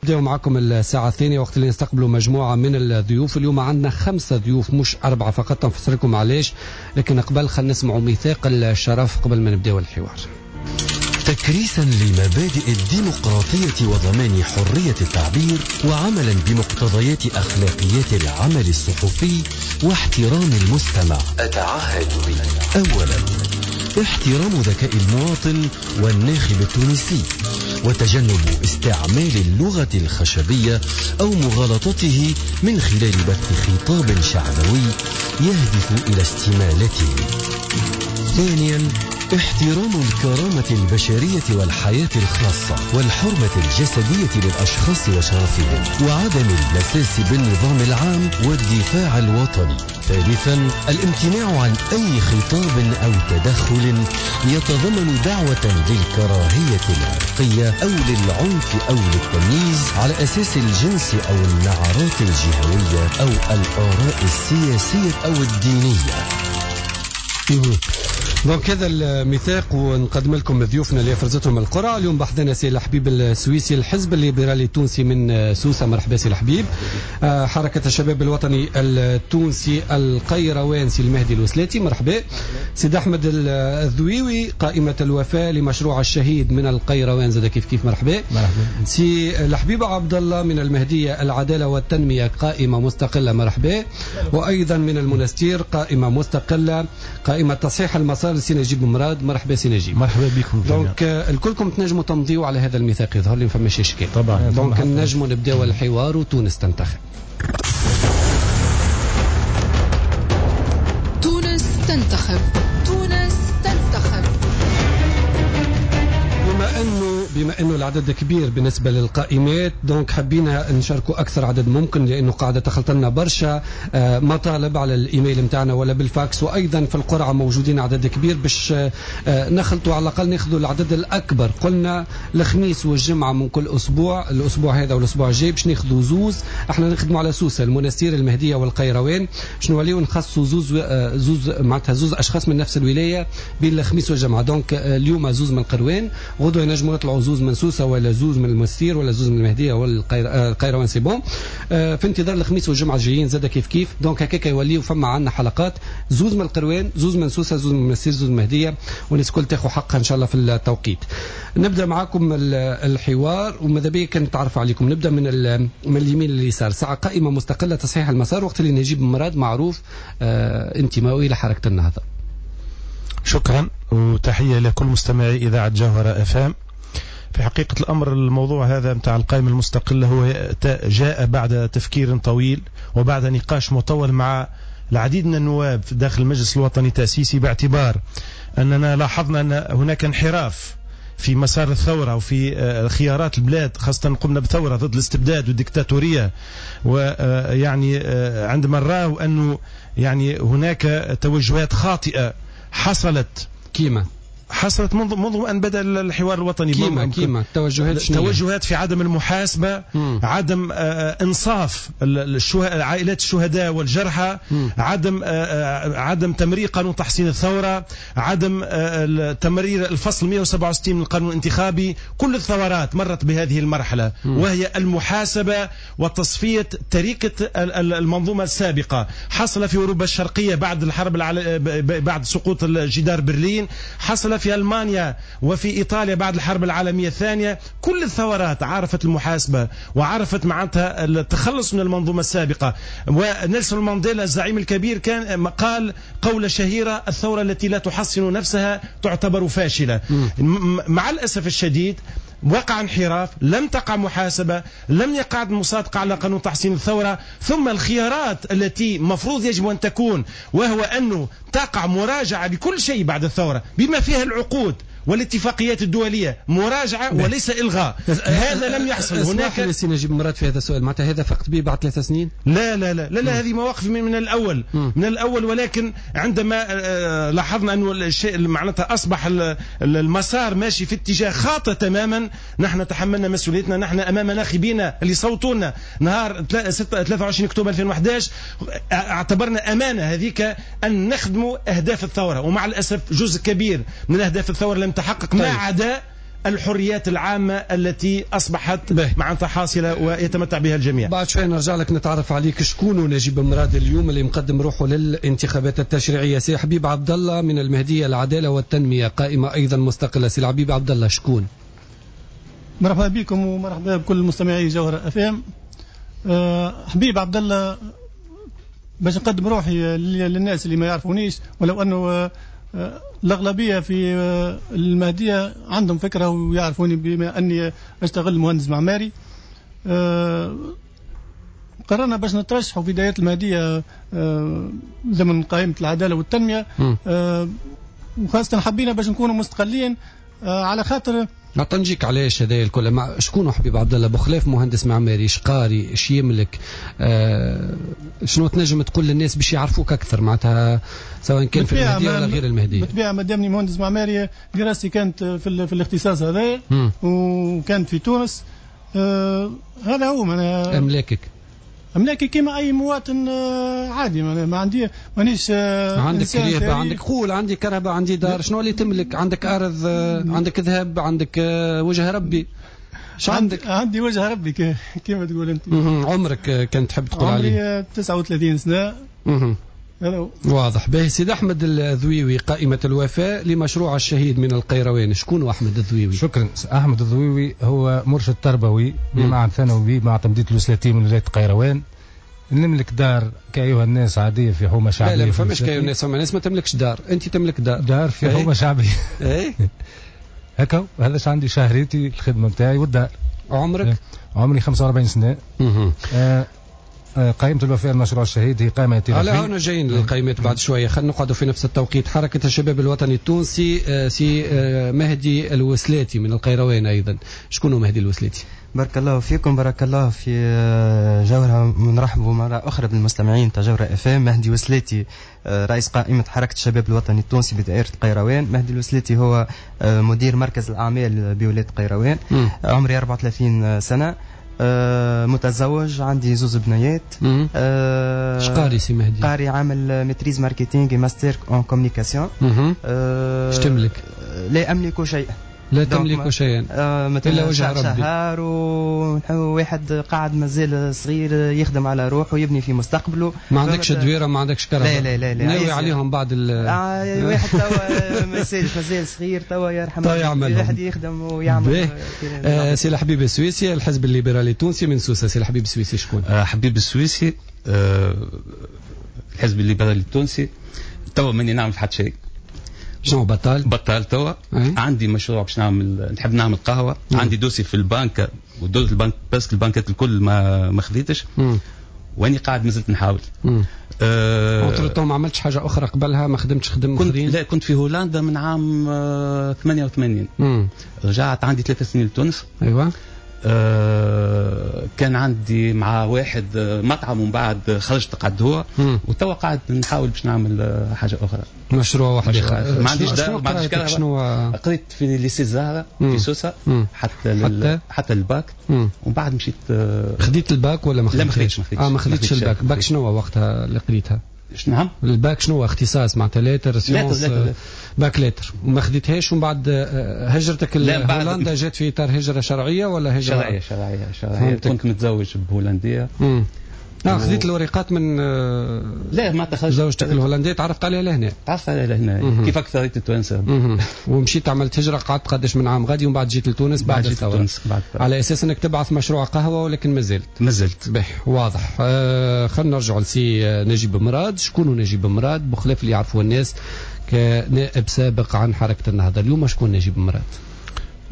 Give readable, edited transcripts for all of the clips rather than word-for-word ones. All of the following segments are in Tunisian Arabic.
نبداو معكم الساعة الثانية وقت اللي نستقبلوا مجموعة من الضيوف. اليوم عندنا 5 ضيوف مش 4 فقط، نفسر لكم علاش، لكن قبل خلينا نسمعوا ميثاق الشرف قبل ما نبداو الحوار. تكريسا لمبادئ الديمقراطية وضمان حرية التعبير، وعملا بمقتضيات أخلاقيات العمل الصحفي واحترام المستمع، أتعهد به: أولا، احترام ذكاء المواطن والناخب التونسي، وتجنب استعمال اللغة الخشبية أو مغالطته من خلال بث خطاب شعبوي يهدف إلى استمالته. ثانيا، احترام الكرامة البشرية والحياة الخاصة والحرمة الجسدية للأشخاص وشرفهم، وعدم المساس بالنظام العام والدفاع الوطني. ثالثا، الامتناع عن أي خطاب أو تدخل يتضمن دعوة للكراهية العرقية أو للعنف أو للتمييز على أساس الجنس أو النعرات الجهوية أو الآراء السياسية أو الدينية. donc هذا الميثاق، ونقدم لكم ضيوفنا اللي فرزتهم القرعة. اليوم بحثنا سي الحبيب السويسي، الحزب الليبرالي التونسي من سوسة، مرحبا سي الحبيب. حركة الشباب الوطني التونسي القيروان سي المهدي الوسلاتي، مرحبا. سيد أحمد الذويوي، قائمة الوفاء لمشروع الشهيد من القيروان، زاد كيف كيف، مرحبا. سي الحبيب عبد الله من المهدية العدالة والتنمية، قائمة مستقلة، مرحبا. وأيضا من المنستير قائمة مستقلة، قائمة تصحيح المسار، سي نجيب مراد، مرحبا سي نجيب. مرحبا بكم. donc الكلكم تنجموا تمضيوا على هذا الميثاق، يظهر لي ما فماش اشكال. طبعا. donc نجموا نبداو الحوار وتونس تنتخب. تونس تنتخب، تونس تنتخب. بما انه العدد كبير بالنسبة للقائمات، donc حبينا نشاركوا اكثر عدد ممكن، لانه قاعدة تخلط لنا برشا مطالب على الايميل نتاعنا ولا بالفاكس، وايضا في القرعة موجودين عدد كبير باش نخلطوا على الاقل ناخذوا العدد الاكبر. قلنا الخميس والجمعة من كل اسبوع، الاسبوع هذا والاسبوع الجاي باش ناخذوا زوز. احنا نخدموا على سوسة، المنستير، المهدية والقيروان، باش نوليو نخصصوا زوز معناتها زوز اشخاص من نفس الولاية بين الخميس والجمعة. donc اليوم زوز من القروان، غدوه ينجموا يطلعوا زوز من سوسة ولا زوز من المستير ولا زوز من المهدية ولا القيروان، c'est bon. في انتظار الخميس والجمعة الجايين زاد كيف كيف. donc هكاك يوليو فما عندنا حلقات زوز من القروان، زوز من سوسة، زوز من المستير، زوز من المهدية، والناس الكل تاخذ حقها ان شاء الله في التوقيت. نبدا معاكم الحوار وماذا بيا كان نتعرف عليكم. نبدا من اليمين لليسار. ساعة قائمة مستقلة تصحيح المسار، وقت اللي نجيب مراد معروف انتمائه الى حركة النهضة. شكرا وتحية لكل مستمعي اذاعة جوهره اف ام. في حقيقة الأمر الموضوع هذا متاع القائمة المستقلة هو جاء بعد تفكير طويل وبعد نقاش مطول مع العديد من النواب داخل المجلس الوطني التأسيسي، باعتبار أننا لاحظنا أن هناك انحراف في مسار الثورة وفي خيارات البلاد، خاصة قمنا بثورة ضد الاستبداد والديكتاتورية، ويعني عندما نراه أنه يعني هناك توجهات خاطئة حصلت كيما حصلت منذ أن بدأ الحوار الوطني. كيما توجهات، توجهات في عدم المحاسبة، عدم إنصاف عائلات الشهداء والجرحى، عدم تمرير قانون تحصين الثورة، عدم تمرير الفصل 167 من القانون الانتخابي. كل الثورات مرت بهذه المرحلة، وهي المحاسبة وتصفية تركة المنظومة السابقة. حصل في أوروبا الشرقية بعد الحرب بعد سقوط جدار برلين، حصل في ألمانيا وفي إيطاليا بعد الحرب العالمية الثانية. كل الثورات عرفت المحاسبة وعرفت معناتها التخلص من المنظومة السابقة. ونيلسون مانديلا الزعيم الكبير كان قال قولة شهيرة: الثورة التي لا تحصن نفسها تعتبر فاشلة. مع الأسف الشديد وقع انحراف، لم تقع محاسبة، لم يقع مصادقة على قانون تحصين الثورة. ثم الخيارات التي مفروض يجب أن تكون، وهو أنه تقع مراجعة لكل شيء بعد الثورة بما فيها العقود والاتفاقيات الدولية، مراجعة وليس إلغاء. هذا لم يحصل. هناك سي نجيب مراد في هذا السؤال، معناتها هذا فقط به بعد 3 سنين؟ لا لا لا لا, لا هذه مواقف من الأول، من الأول. ولكن عندما لاحظنا أنه الشيء معناتها أصبح المسار ماشي في اتجاه خاطئ تماما، نحن تحملنا مسؤوليتنا. نحن أمام ناخبينا اللي صوتونا نهار 23 أكتوبر 2011، اعتبرنا أمانة هذيك أن نخدموا أهداف الثورة، ومع الأسف جزء كبير من أهداف الثورة لم تحقق، ما عدا الحريات العامة التي أصبحت معناتها حاصلة ويتمتع بها الجميع. بعد شوي نرجع لك نتعرف عليك شكون نجيب مراد اليوم اللي مقدم روحه للانتخابات التشريعية. سي حبيب عبد الله من المهدية العدالة والتنمية، قائمة أيضا مستقلة. سي حبيب عبد الله شكون؟ مرحبا بكم ومرحبا بكل مستمعي جوهرة FM. حبيب عبد الله، باش نقدم روحي للناس اللي ما يعرفونيش، ولو أنه الأغلبية في المهدية عندهم فكرة ويعرفوني بما أني أشتغل مهندس معماري. قررنا باش نترشحوا في دائرة المهدية ضمن قائمة العدالة والتنمية، وخاصة حبينا باش نكونوا مستقلين على خاطر نجيك علاش هذا الكل. مع شكون حبيب عبد الله بخلاف مهندس معماري؟ شقاري، اش يملك، شنو تنجم تقول للناس باش يعرفوك اكثر معناتها، سواء كان في المهدية ولا غير المهدية؟ بالطبيعة ما دامني مهندس معماري دراستي كانت في الاختصاص هذا وكانت في تونس. هذا هو املاكك. املاكي كيما اي مواطن عادي، ما عندي، مانيش عندك كرهبه، عندك قول، عندي كرهبه، عندي دار، شنو اللي تملك؟ عندك ارض، عندك ذهب، عندك وجه ربي، شو عندك؟ عندي وجه ربي كيما تقول انت. عمرك كان تحب تقول عليه؟ عمري 39 سنة. هذا واضح. باهي. سيد احمد الذويوي، قائمة الوفاء لمشروع الشهيد من القيروان، شكون احمد الذويوي؟ شكرا. احمد الذويوي هو مرشد تربوي بمعهد ثانوي معتمدية الوسلاتي من ولاية القيروان. نملك دار كأيها الناس عادية في حومة شعبية. لا لا ما فماش كأيها الناس، فما ناس ما تملكش دار، أنت تملك دار. دار في حومة شعبية. ايه هكا هذا عندي شهريتي، الخدمة نتاعي والدار. عمرك؟ عمري 45 سنة. قائمة الوفاء لمشروع الشهيد هي قائمة ائتلافية. على هنا جايين للقائمات بعد شوية، خلينا نقعدوا في نفس التوقيت. حركة الشباب الوطني التونسي، سي مهدي الوسلاتي من القيروان أيضا، شكون مهدي الوسلاتي؟ بارك الله فيكم، بارك الله في جوهرة. نرحب مرة أخرى بالمستمعين تاع جوهرة FM. مهدي وسلاتي رئيس قائمة حركة الشباب الوطني التونسي بدائرة القيروان. مهدي الوسلاتي هو مدير مركز الأعمال بولاية القيروان. عمري 34 سنة، متزوج، عندي زوز بنيات. اش قاري سي مهدي؟ قاري عامل maîtrise marketing master en communication. اش تملك؟ لا املك شيء. لا تملك شيئا الا وجه ربي. شهر وواحد قاعد مازال صغير يخدم على روحه ويبني في مستقبله. ما عندكش دويره، ما عندكش كهرباء؟ لا لا لا، ناوي عليهم بعد واحد توا مازال صغير توا يرحم الواحد يخدم ويعمل. سي الحبيب السويسي، الحزب الليبرالي التونسي من سوسة. سي الحبيب السويسي شكون؟ حبيب السويسي، الحزب الليبرالي التونسي. توا ماني نعمل حتى شيء. شنو بطال؟ بطال توا. عندي مشروع باش نعمل، نحب نعمل قهوة. عندي dossier في البنك، و dossier البنك parce que البنكات الكل ما خذيتش، واني قاعد مازلت نحاول. entre-temps ما عملتش حاجة أخرى قبلها؟ ما خدمتش خدم أخرين؟ لا، كنت في هولندا من عام 88. رجعت عندي 3 سنين لتونس. أيوة. كان عندي مع واحد مطعم، ومن بعد خرجت قعد هو، وتوا قاعد نحاول باش نعمل حاجة أخرى، مشروع واحد. ما عنديش دار، ما عنديش كهرباء. قريت في lycée الزهرة في سوسة حتى الباك، ومن بعد مشيت. خديت الباك ولا ما خديتش؟ لا ما خديتش. ما خديتش ال bac. bac شنو وقتها اللي قريتها؟ نعم، الباك شنو اختصاص معناتها؟ lettres sciences، bac lettres. وما خديتهاش، ومن بعد هجرتك لهولندا جات في اطار هجره شرعية ولا هجره؟ شرعية. كنت متزوج بهولنديه. خذيت الورقات من لا ما تخرجت زوجتك الهولندية، تعرفت عليها لهنا؟ تعرفت عليها لهنا كيف اكثريت التوانسة. ومشيت عملت هجره، قعدت قداش من عام غادي، ومن بعد جيت لتونس بعد الثورة. على اساس انك تبعث مشروع قهوة، ولكن مازلت. به واضح. خلينا نرجعوا لسي نجيب مراد. شكون نجيب مراد بخلاف اللي يعرفوه الناس كنائب سابق عن حركة النهضة، اليوم شكون نجيب مراد؟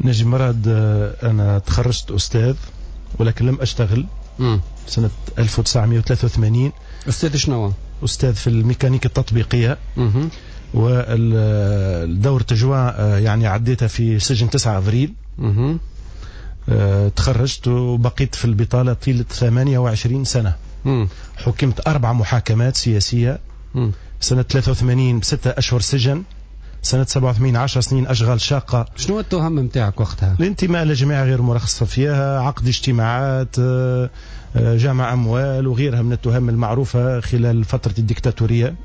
نجيب مراد انا تخرجت استاذ ولكن لم اشتغل. سنة 1983. أستاذ شنو؟ أستاذ في الميكانيك التطبيقية. والدورة جوان يعني عديتها في سجن 9 أفريل. تخرجت وبقيت في البطالة طيلة 28 سنة. حكمت 4 محاكمات سياسية. سنة 83 ب6 أشهر سجن، سنة 87 10 سنين أشغال شاقة. شنو التهم نتاعك وقتها؟ الانتماء لجماعة غير مرخصة فيها، عقد اجتماعات، جمع أموال وغيرها من التهم المعروفة خلال فترة الديكتاتورية.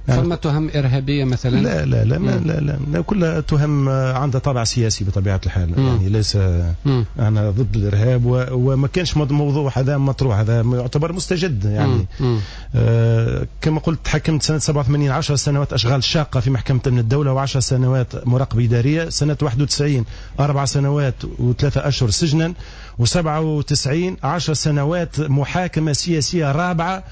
يعني فما تهم إرهابية مثلا؟ لا لا لا ما لا لا, لا كلها تهم عندها طابع سياسي بطبيعة الحال. يعني ليس أنا ضد الإرهاب وما كانش موضوع هذا مطروح، هذا يعتبر مستجد يعني. كما قلت حكمت سنة 87 10 سنوات أشغال شاقة في محكمة أمن الدولة و10 سنوات مراقبة إدارية، سنة 91 4 سنوات و3 أشهر سجنا، و97 10 سنوات محاكمة سياسية رابعة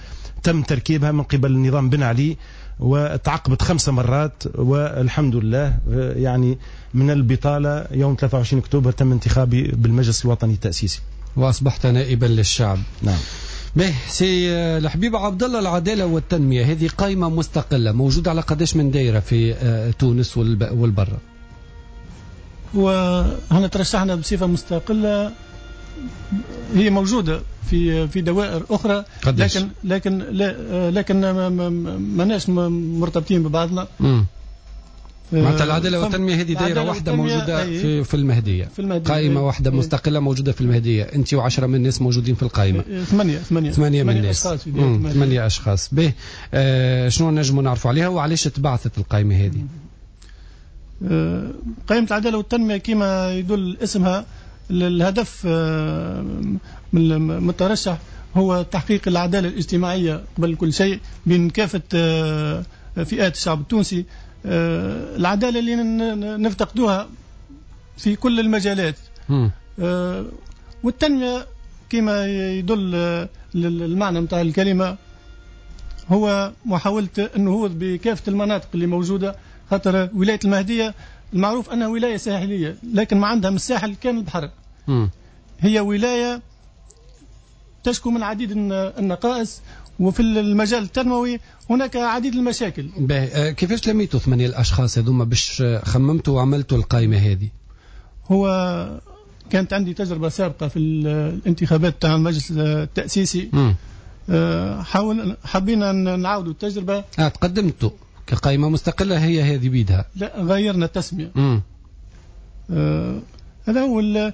تم تركيبها من قبل النظام بن علي، وتعاقبت 5 مرات، والحمد لله يعني من البطالة يوم 23 أكتوبر تم انتخابي بالمجلس الوطني التأسيسي وأصبحت نائبا للشعب. نعم. به سي الحبيب عبد الله، العدالة والتنمية هذه قائمة مستقلة موجودة على قداش من دائرة في تونس والبرة؟ وهنا ترشحنا بصفة مستقلة، هي موجودة في دوائر أخرى، قديش؟ لكن لكن ماناش مرتبطين ببعضنا. معناتها العدالة والتنمية هذه دائرة واحدة موجودة في المهدية، قائمة واحدة مستقلة موجودة في المهدية، أنت و10 من الناس موجودين في القائمة. 8 من الناس، 8 أشخاص. به شنو نجموا نعرفوا عليها وعلاش تبعثت القائمة هذه؟ قائمة العدالة والتنمية كما يدل اسمها، الهدف من الترشح هو تحقيق العدالة الاجتماعية قبل كل شيء بين كافة فئات الشعب التونسي، العدالة اللي نفتقدوها في كل المجالات. والتنمية كما يدل المعنى متاع الكلمة هو محاولة النهوض بكافة المناطق اللي موجودة، خاطر ولاية المهدية المعروف أنها ولاية ساحلية، لكن ما عندها من الساحل كان البحر. هي ولاية تشكو من عديد النقائص، وفي المجال التنموي هناك عديد المشاكل. كيفاش لميتوا 8 الأشخاص هذوما باش خممتوا وعملتوا القائمة هذه؟ هو كانت عندي تجربة سابقة في الانتخابات تاع المجلس التأسيسي. حبينا نعاودوا التجربة. تقدمتوا كقائمة مستقلة هي هذه بيدها؟ لا، غيرنا التسمية. هذا هو.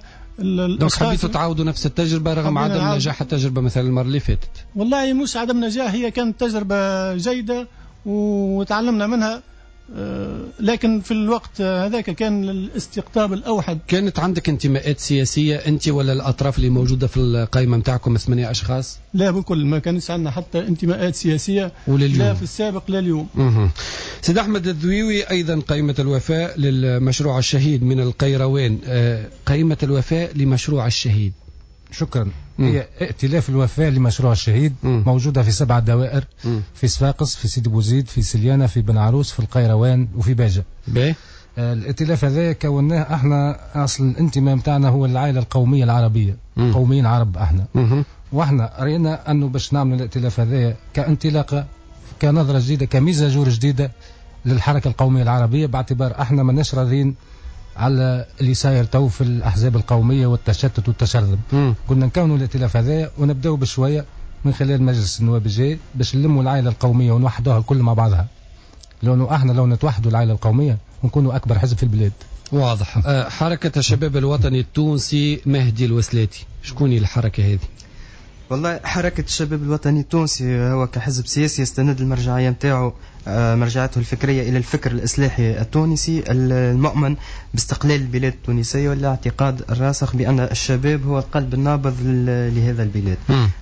donc حبيتوا تعاودوا نفس التجربة رغم عدم نجاح التجربة مثلا المرة اللي فاتت؟ والله مش عدم نجاح، هي كانت تجربة جيدة وتعلمنا منها، لكن في الوقت هذاك كان الاستقطاب الأوحد. كانت عندك انتماءات سياسية أنت ولا الأطراف اللي موجودة في القائمة متاعكم 8 أشخاص؟ لا بكل، ما كانش عندنا حتى انتماءات سياسية، لا في السابق لا اليوم. سيد أحمد الذويوي، أيضا قائمة الوفاء للمشروع الشهيد من القيروان، قائمة الوفاء لمشروع الشهيد. شكرا. هي ائتلاف الوفاء لمشروع الشهيد موجودة في 7 دوائر، في صفاقس، في سيدي بوزيد، في سليانة، في بن عروس، في القيروان، وفي باجة. الائتلاف هذا كوناه احنا، اصل الانتماء نتاعنا هو العائلة القومية العربية، قوميين عرب احنا. واحنا رأينا انه باش نعمل الائتلاف هذا كانطلاقة، كنظرة جديدة، ك mise à jour جديدة للحركة القومية العربية، باعتبار احنا ماناش راضيين على اللي صاير تو في الأحزاب القومية والتشتت والتشرذم. قلنا نكونوا الائتلاف هذا ونبداو بشوية من خلال مجلس النواب الجاي باش نلموا العائلة القومية ونوحدوها الكل مع بعضها، لأنه احنا لو نتوحدوا العائلة القومية نكونوا أكبر حزب في البلاد. واضح. حركة الشباب الوطني التونسي، مهدي الوسلاتي، شكون الحركة هذه؟ والله حركة الشباب الوطني التونسي هو كحزب سياسي يستند المرجعية متاعه، مرجعته الفكرية إلى الفكر الإصلاحي التونسي المؤمن باستقلال البلاد التونسية والاعتقاد الراسخ بأن الشباب هو القلب النابض لهذا البلاد.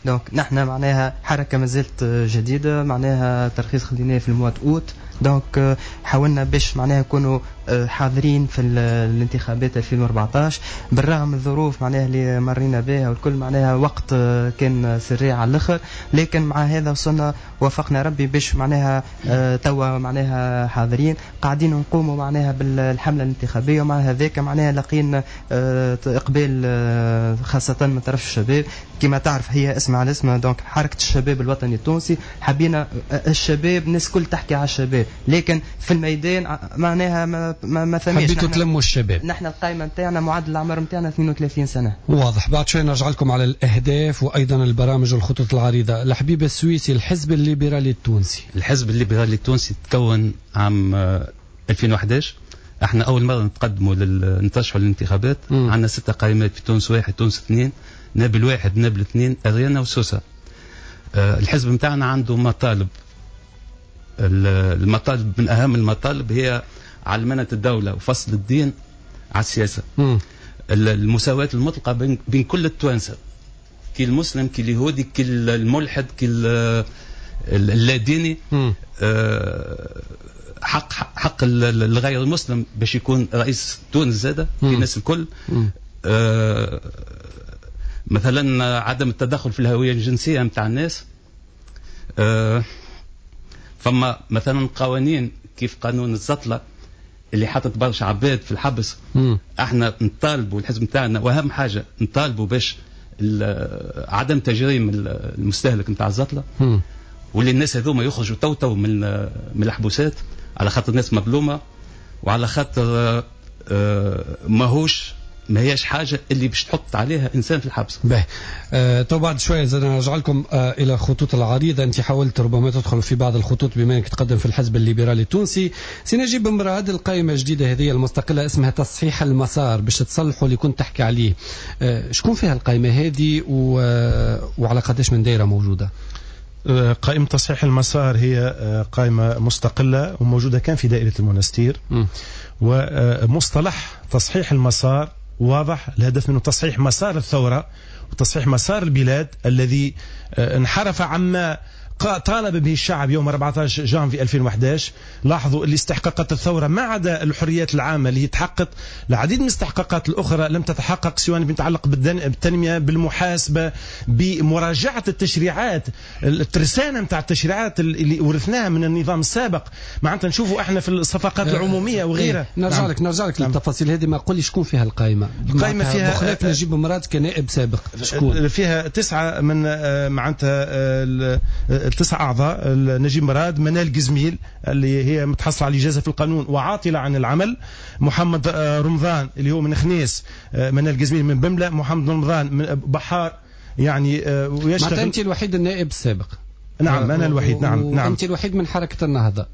donc نحن معناها حركة ما زالت جديدة، معناها ترخيص خديناه في ال mois d'août، donc حاولنا باش معناها نكونوا حاضرين في الانتخابات 2014 بالرغم من الظروف معناها اللي مرينا بها والكل، معناها وقت كان سريع على الاخر، لكن مع هذا وصلنا وفقنا ربي باش معناها توا معناها حاضرين قاعدين نقوموا معناها بالحملة الانتخابية، ومع هذاك معناها لقينا إقبال خاصة من طرف الشباب. كما تعرف هي اسم على اسمها، donc حركة الشباب الوطني التونسي، حبينا الشباب الناس كل تحكي على الشباب، لكن في الميدان معناها ما ثماش. حبيتوا تلموا الشباب. نحن القائمة نتاعنا معدل الأعمار نتاعنا 32 سنة. واضح. بعد شوي نرجع لكم على الأهداف وأيضا البرامج والخطط العريضة. الحبيب السويسي، الحزب الليبرالي التونسي. الحزب الليبرالي التونسي تكون عام 2011. احنا أول مرة نتقدموا نترشحوا للانتخابات. عندنا 6 قائمات في تونس 1، تونس 2، نابل 1، نابل 2، أريانا وسوسة. الحزب نتاعنا عنده مطالب المطالب من اهم المطالب هي علمنة الدولة وفصل الدين على السياسة. المساواة المطلقة بين كل التوانسة، كي المسلم كي اليهودي كي الملحد كي اللاديني. حق الغير المسلم باش يكون رئيس تونس زاده في الناس الكل. مثلا عدم التدخل في الهوية الجنسية نتاع الناس. فما مثلا قوانين كيف قانون الزطلة اللي حطت برشا عباد في الحبس. احنا نطالبوا الحزب نتاعنا، واهم حاجة نطالبوا باش عدم تجريم المستهلك نتاع الزطلة، واللي الناس هذوما يخرجوا تو من الحبوسات، على خاطر الناس مظلومة، وعلى خاطر ما هياش حاجة اللي باش تحط عليها انسان في الحبس. باهي. تو بعد شوية زاد نرجع لكم الى خطوط العريضة. انت حاولت ربما تدخل في بعض الخطوط بما انك تقدم في الحزب الليبرالي التونسي. سي نجيب مراد، القائمة الجديدة هذه المستقلة اسمها تصحيح المسار باش تصلحوا اللي كنت تحكي عليه، شكون فيها القائمة هذه وعلى قداش من دائرة موجودة؟ قائمة تصحيح المسار هي قائمة مستقلة وموجودة كان في دائرة المنستير. ومصطلح تصحيح المسار واضح، الهدف منه تصحيح مسار الثورة وتصحيح مسار البلاد الذي انحرف عما طالب به الشعب يوم 14 جانفي 2011. لاحظوا اللي استحقاقات الثورة ما عدا الحريات العامة اللي تحققت، العديد من الاستحقاقات الأخرى لم تتحقق، سواء بيتعلق بالتنمية، بالمحاسبة، بمراجعة التشريعات، الترسانة نتاع التشريعات اللي ورثناها من النظام السابق. معناتها نشوفوا احنا في الصفقات العمومية وغيرها. نرجع لك، نرجع لك للتفاصيل هذه. ما قول لي شكون فيها القائمة؟ القائمة فيها بخلاف نجيب مراد كنائب سابق، شكون فيها؟ 9 من معناتها 9 أعضاء: نجيب مراد، منال قزميل اللي هي متحصلة على الإجازة في القانون وعاطلة عن العمل، محمد رمضان اللي هو من خنيس، منال قزميل من بملة، محمد رمضان من بحار، يعني ويشتغل. أنت الوحيد النائب السابق؟ نعم أنا الوحيد. نعم نعم. أنت الوحيد من حركة النهضة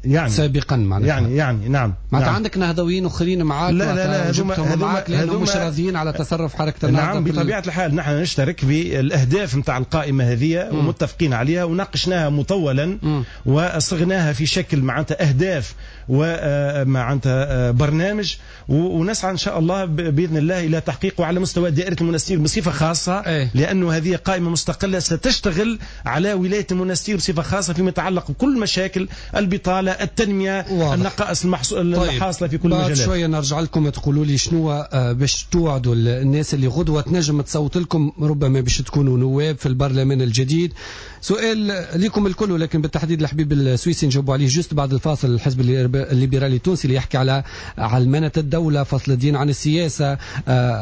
يعني سابقا معناتها. يعني نعم. معناتها عندك نهضويين اخرين معاك؟ لا لا لا، معاك لانهم مش راضيين على تصرف حركة النهضة. نعم بطبيعة الحال نحن نشترك بالاهداف نتاع القائمة هذه ومتفقين عليها وناقشناها مطولا وصغناها في شكل معناتها اهداف ومعناتها برنامج، ونسعى ان شاء الله باذن الله الى تحقيقه على مستوى دائرة المنستير بصفة خاصة. لانه هذه قائمة مستقلة ستشتغل على ولاية المنستير بصفة خاصة فيما يتعلق بكل مشاكل البطالة، التنمية، النقائص الحاصلة في كل المجالات. بعد شوية نرجع لكم تقولوا لي شنو باش توعدوا الناس اللي غدوة تنجم تصوت لكم، ربما باش تكونوا نواب في البرلمان الجديد. سؤال لكم الكل ولكن بالتحديد الحبيب السويسي نجاوبوا عليه juste بعد الفاصل. الحزب الليبرالي التونسي اللي يحكي على علمنة الدولة، فصل الدين عن السياسة،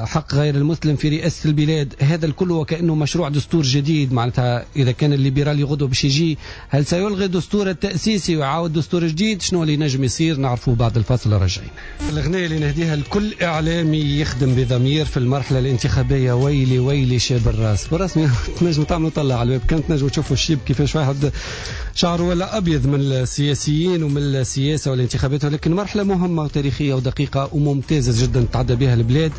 حق غير المسلم في رئاسة البلاد، هذا الكل وكأنه مشروع دستور جديد. معناتها إذا كان الليبرالي غدوة باش يجي، هل سيلغي الدستور التأسيسي ويعاود دستور جديد؟ شنو اللي نجم يصير؟ نعرفوه بعد الفاصل. راجعين. الأغنية اللي نهديها لكل إعلامي يخدم بضمير في المرحلة الانتخابية، ويلي ويلي شاب الراس. بالرسمي تنجم تعملوا طلع على الويب، كانت تنجموا تشوفوا الشيب كيفاش واحد شعره ولا أبيض من السياسيين ومن السياسة والانتخابات، ولكن مرحلة مهمة وتاريخية ودقيقة وممتازة جدا تعدى بها البلاد،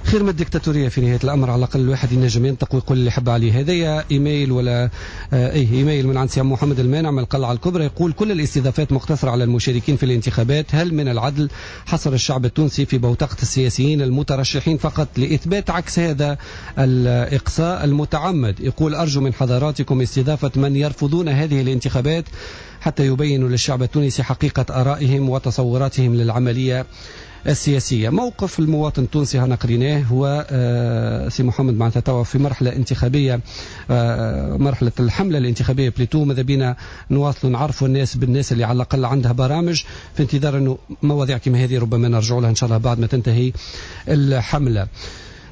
خير من الدكتاتورية في نهاية الأمر. على الأقل الواحد ينجم ينطق ويقول اللي يحب عليه. هذايا إيميل ولا إيه إيميل من عند سي محمد المانع من القلعة الكبرى، يقول كل الاستضافات مقتصرة على المشاركين في الانتخابات، هل من العدل حصر الشعب التونسي في بوتقة السياسيين المترشحين فقط لإثبات عكس هذا الإقصاء المتعمد؟ يقول أرجو من حضراتكم استضافة من يرفضون هذه الانتخابات حتى يبينوا للشعب التونسي حقيقة آرائهم وتصوراتهم للعملية السياسية. موقف المواطن التونسي هنا قريناه هو سي محمد معناتها توا في مرحلة انتخابية، مرحلة الحملة الانتخابية plutôt، ماذا بينا نواصلوا نعرفوا الناس بالناس اللي على الأقل عندها برامج، في انتظار أنه مواضيع كما هذه ربما نرجع لها إن شاء الله بعد ما تنتهي الحملة.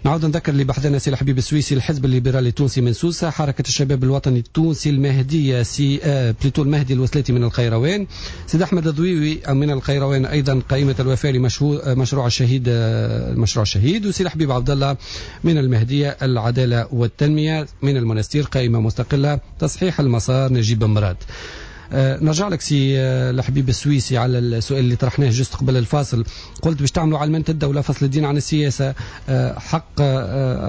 نعود نذكر اللي بحثنا سي الحبيب السويسي، الحزب الليبرالي التونسي من سوسة، حركة الشباب الوطني التونسي المهدية سي plutôt المهدي الوسلاتي من القيروان، سيد أحمد الضويوي من القيروان أيضا قائمة الوفاء لمشروع الشهيد، المشروع الشهيد، وسي الحبيب عبد الله من المهدية العدالة والتنمية من المنستير قائمة مستقلة تصحيح المسار نجيب مراد. نرجع لك سي الحبيب السويسي على السؤال اللي طرحناه juste قبل الفاصل. قلت باش تعملوا علمنة الدولة، فصل الدين عن السياسة، حق